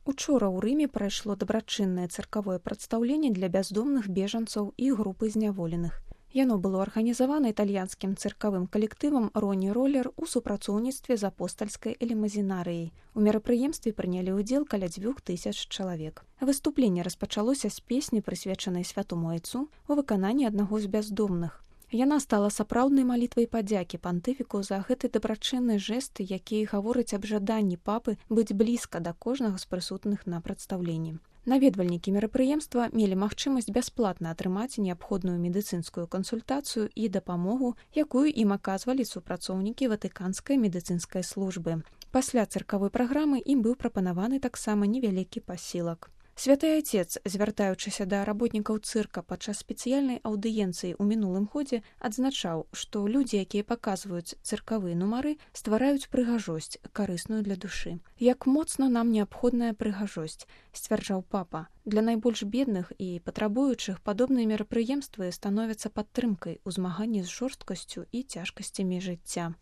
Учора ў Рыме прайшло дабрачыннае цыркавое прадстаўленне для бяздомных бежанцаў і групы зняволеных. Яно было арганізавана італьянскім цыркавым калектывам «Роні Роллер» у супрацоўніцтве з апостальскай элемазінарыяй. У мерапрыемстве прынялі ўдзел каля 2000 чалавек. Выступленне распачалося з песні, прысвечанай святому айцу, у выкананні аднаго з бяздомных. Яна стала сапраўднай малітвай падзякі пантыфіку за гэты дабрачынны жэст, які гаворыць аб жаданні папы быць блізка да кожнага з прысутных на прадстаўленні. Наведвальнікі мерапрыемства мелі магчымасць бясплатна атрымаць неабходную медыцынскую кансультацыю і дапамогу, якую ім аказвалі супрацоўнікі ватыканскай медыцынскай службы. Пасля цыркавой праграмы ім быў прапанаваны таксама невялікі пасілак. Святы Айцец, звяртаючыся да работнікаў цырка падчас спецыяльнай аўдыенцыі ў мінулым годзе, адзначаў, што людзі, якія паказваюць цыркавыя нумары, ствараюць прыгажосць, карысную для душы. Як моцна нам неабходная прыгажосць, сцвярджаў папа. Для найбольш бедных і патрабуючых падобныя мерапрыемствы становяцца падтрымкай у змаганні з жорсткасцю і цяжкасцямі жыцця.